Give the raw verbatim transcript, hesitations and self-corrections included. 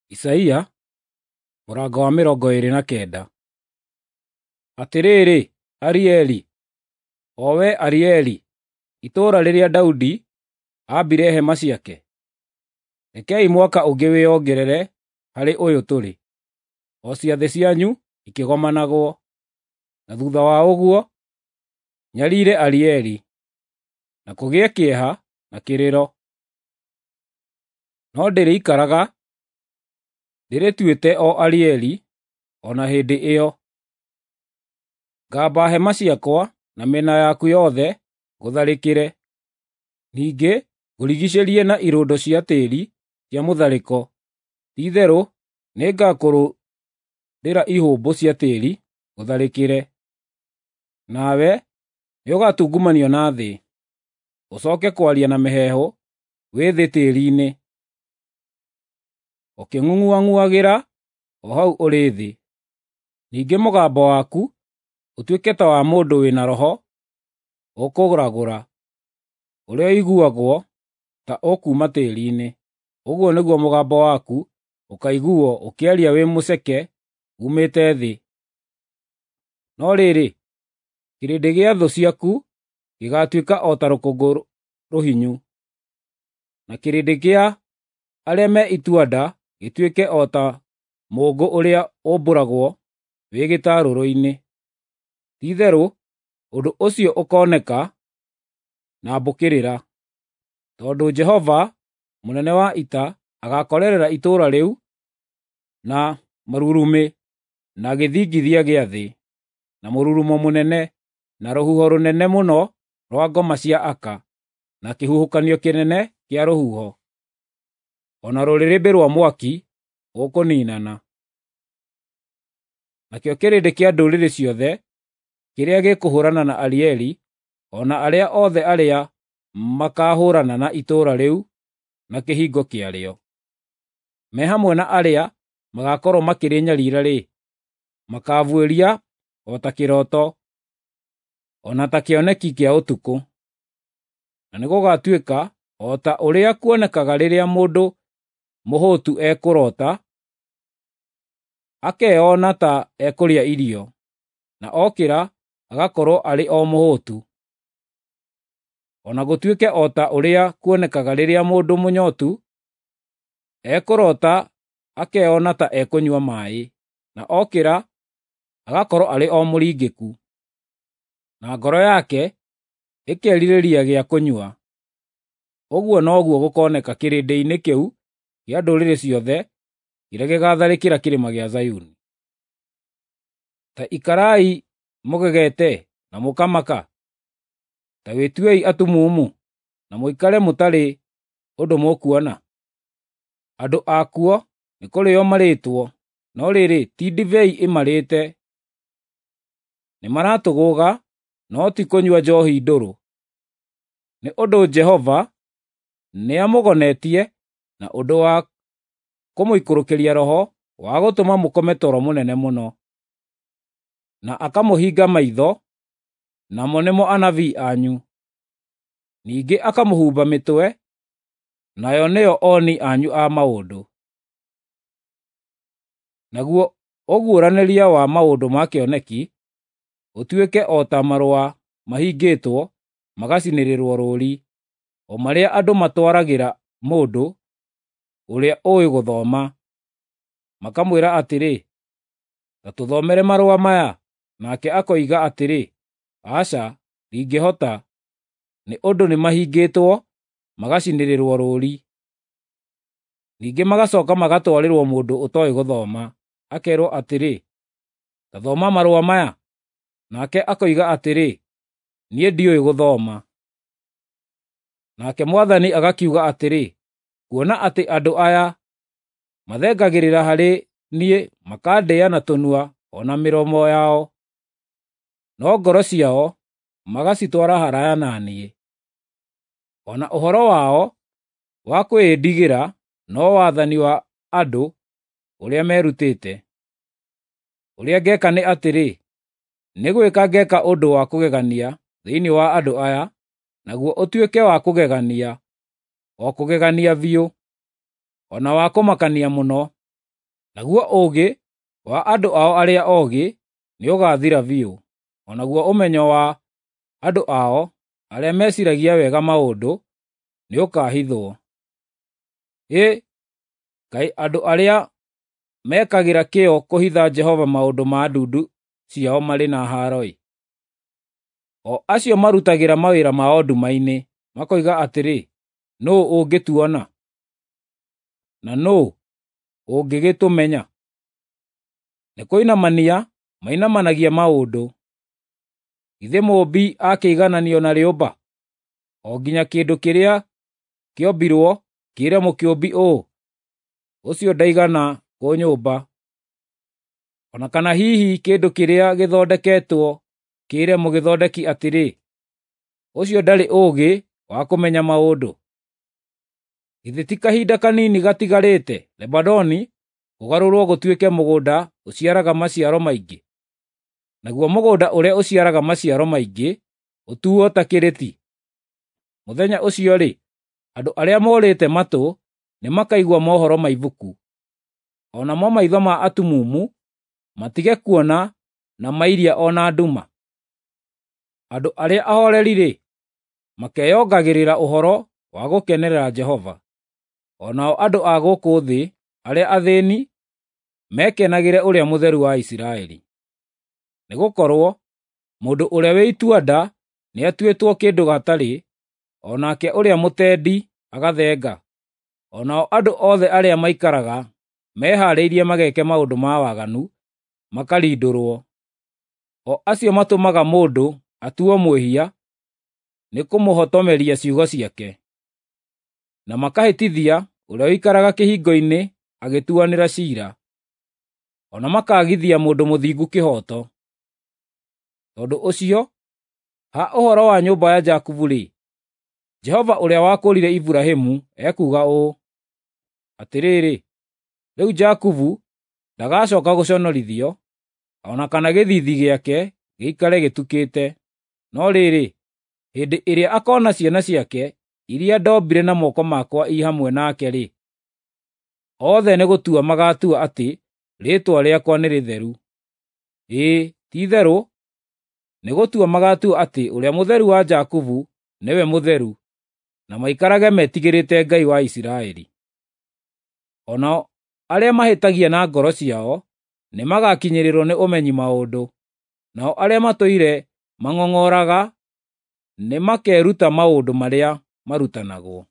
Isaia mũrango wa mĩrongo ĩĩrĩ na kenda. Atĩrĩrĩ, Arieli, o wee Arieli, itũũra rĩrĩa Daudi aambire hema ciake, rekei mwaka ũngĩ wĩongerere harĩ ũyũ tũrĩ, o ciathĩ cianyu ikĩgomanagwo. Na thutha wa ũguo nyariire Arieli, na kũgĩe kĩeha na kĩrĩro. No ndĩrĩikaraga ndĩrĩtuĩte o Arieli o na hĩndĩ ĩyo. Ngamba hema ciakwa na mĩena yaku yothe ngũtharĩkĩre. Ningĩ ngũrigiicĩrie na irũndo cia tĩĩri cia mũtharĩko. Ti-itherũ nĩngakũrũndĩra ihũmbũ cia tĩĩri ngũtharĩkĩre. Nawe nĩũgatungumanio na thĩ, ũcooke kwaria na mĩheehũ wĩ thĩ tĩĩri-inĩ, ũkĩng'ung'uang'uagĩra o hau ũrĩ thĩ. Ningĩ mũgambo waku ũtuĩke ta wa mũndũ wĩ na roho ũkũragũra, ũrĩa ũiguagwo ta ũkuuma tĩĩri-inĩ. Ũguo nĩguo mũgambo waku ũkaiguuo ũkĩaria wĩ mũceke uumĩte thĩ. No rĩrĩ, kĩrĩndĩ gĩa thũ ciaku gĩgaatuĩka o ta rũkũngũ rũhinyu, na kĩrĩndĩ kĩa arĩa me itua-nda gĩtuĩke o ta mũũngũ ũrĩa ũmbũragwo wĩ gĩtarũrũ-inĩ. Ti-itherũ ũndũ ũcio ũkooneka na mbũkĩrĩra, tondũ Jehova mũnene wa ita agaakorerera itũũra rĩu na marurumĩ, na gĩthingithia gĩa thĩ, na mũrurumo mũnene, na rũhuho rũnene mũno rwa ngoma cia aka, na kĩhuhũkanio kĩnene kĩa rũhuho, o na rũrĩrĩmbĩ rwa mwaki ũkũniinana. Nakĩo kĩrĩndĩ kĩa ndũrĩrĩ ciothe kĩrĩa gĩkũhũũrana na Arieli, o na arĩa othe arĩa makaahũũrana na itũũra rĩu na kĩhingo kĩarĩo, me hamwe na arĩa magaakorwo makĩrĩnyariira-rĩ, makaabuĩria o ta kĩroto, o na ta kĩoneki kĩa ũtukũ. Na nĩgũgatuĩka o ta ũrĩa kuonekaga rĩrĩa mũndũ mũhũtu ekũroota, akeona ta ekũrĩa irio, na okĩra agakorwo arĩ o mũhũtu. O na gũtuĩke o ta ũrĩa kuonekaga rĩrĩa mũndũ mũnyootu ekũroota akeona ta ekũnyua maaĩ, na okĩra agakorwo arĩ o mũringĩku, na ngoro yake ĩkerirĩria gĩa kũnyua. Ũguo noguo gũkooneka kĩrĩndĩ-inĩ kĩu kĩa ndũrĩrĩ ciothe kĩrĩa gĩgaatharĩkĩra kĩrĩma gĩa Zayuni. Ta ikarai mũgegete na mũkamaka, ta wĩtuei atumumu, na mũikare mũtarĩ ũndũ mũkuona. Andũ akuo nĩkũrĩĩo marĩĩtwo, no rĩrĩ, ti ndibei ĩmarĩĩte; nĩmaratũgũũga, no ti kũnyua njoohi ndũrũ. Nĩ ũndũ Jehova nĩamũgonetie na ũndũ wa kũmũikũrũkĩria roho wa gũtũma mũkome toro mũnene mũno, na akamũhinga maitho, namo nĩmo anabii anyu. Ningĩ akamũhumba mĩtwe, nayo nĩo oni anyu a maũndũ. Naguo ũguũranĩria wa maũndũ ma kĩoneki ũtuĩke o ta marũa mahingĩtwo magacinĩrĩrwo rũũri, o marĩa andũ matwaragĩra mũndũ ũrĩa ũũĩ gũthoma, makamwĩra atĩrĩ, “Ta tũthomere marũa maya,” nake akoiga atĩrĩ, “Aca, ndingĩhota, nĩ ũndũ nĩmahingĩtwo magacinĩrĩrwo rũũri.” Ningĩ magacooka magatwarĩrwo mũndũ ũtooĩ gũthoma, akeerwo atĩrĩ, “Ta thoma marũa maya,” nake akoiga atĩrĩ, “Niĩ ndiũĩ gũthoma.” Nake Mwathani agakiuga atĩrĩ, “Kuona atĩ andũ aya mathengagĩrĩra harĩ niĩ makandĩĩa na tũnua o na mĩromo yao, no ngoro ciao magacitwara haraaya na niĩ. O na ũhoro wao wa kwĩĩndigĩra no wathani wa andũ ũrĩa merutĩte. Ũrĩa ngeeka nĩ atĩrĩ, nĩ gwĩka ngeeka ũndũ wa kũgegania thĩinĩ wa andũ aya, naguo ũtuĩke wa kũgegania, o kũgegania biũ, o na wa kũmakania mũno. Naguo ũũgĩ wa andũ ao arĩa ogĩ nĩũgaathira biũ, o naguo ũmenyo wa andũ ao arĩa meciragia wega maũndũ nĩũkahithwo. Hĩ, kaĩ andũ arĩa mekagĩra kĩyo kũhitha Jehova maũndũ ma ndundu ciao marĩ na haaro-ĩ! O acio marutagĩra mawĩra mao nduma-inĩ, makoiga atĩrĩ, “Nũũ ũngĩtuona? Na nũũ ũngĩgĩtũmenya?” Nĩkũinamania mainamanagia maũndũ. Githĩ mũũmbi akĩigananio na rĩũmba, o nginya kĩndũ kĩrĩa kĩombirwo kĩĩre mũkĩũmbi ũũ, “Ũcio ndaigana kũnyũmba”? O na kana hihi kĩndũ kĩrĩa gĩthondeketwo kĩĩre mũgĩthondeki atĩrĩ, “Ũcio ndarĩ ũũgĩ wa kũmenya maũndũ”? Githĩ ti kahinda kanini gatigarĩte Lebanoni kũgarũrwo gũtuĩke mũgũnda ũciaraga maciaro maingĩ, naguo mũgũnda ũrĩa ũciaraga maciaro maingĩ ũtuo ta kĩrĩti? Mũthenya ũcio-rĩ, andũ arĩa morĩte matũ nĩmakaigua mohoro ma ibuku, o namo maitho ma atumumu matige kuona na mairia o na nduma. Andũ arĩa ahoreri-rĩ, makeyongagĩrĩra ũhoro wa gũkenerera Jehova, o nao andũ a gũkũ thĩ arĩa athĩĩni mekenagĩre Ũrĩa Mũtheru wa Isiraeli. Nĩgũkorwo mũndũ ũrĩa wĩ itua-nda nĩatuĩtwo kĩndũ gatarĩ, o nake ũrĩa mũtendi agathenga, o nao andũ othe arĩa maikaraga mehaarĩirie mageke maũndũ ma waganu makarindũrwo, o acio matũmaga mũndũ atuo mwĩhia nĩ kũmũhotomeria ciugo ciake, na makahĩtithia ũrĩa ũikaraga kĩhingo-inĩ agĩtuanĩra ciira, o na makaagithia mũndũ mũthingu kĩhooto. Tondũ ũcio, ha ũhoro wa nyũmba ya Jakubu-rĩ, Jehova ũrĩa wakũũrire Iburahĩmu ekuuga ũũ: Atĩrĩrĩ, rĩu Jakubu ndagacooka gũconorithio, o na kana gĩthiithi gĩake gĩikare gĩtukĩte. No rĩrĩ, hĩndĩ ĩrĩa akoona ciana ciake iria ndombire na moko makwa i hamwe nake-rĩ, othe nĩgũtua magaatua atĩ rĩĩtwa rĩakwa nĩ rĩtheru. Ĩĩ, ti-itherũ nĩgũtua magaatua atĩ Ũrĩa Mũtheru wa Jakubu nĩwe mũtheru, na maikarage metigĩrĩte Ngai wa Isiraeli. O nao arĩa mahĩtagia na ngoro ciao nĩmagakinyĩrĩrwo nĩ ũmenyi maũndũ, nao arĩa matũire mang'ong'oraga nĩmakeruta maũndũ marĩa marutanagwo.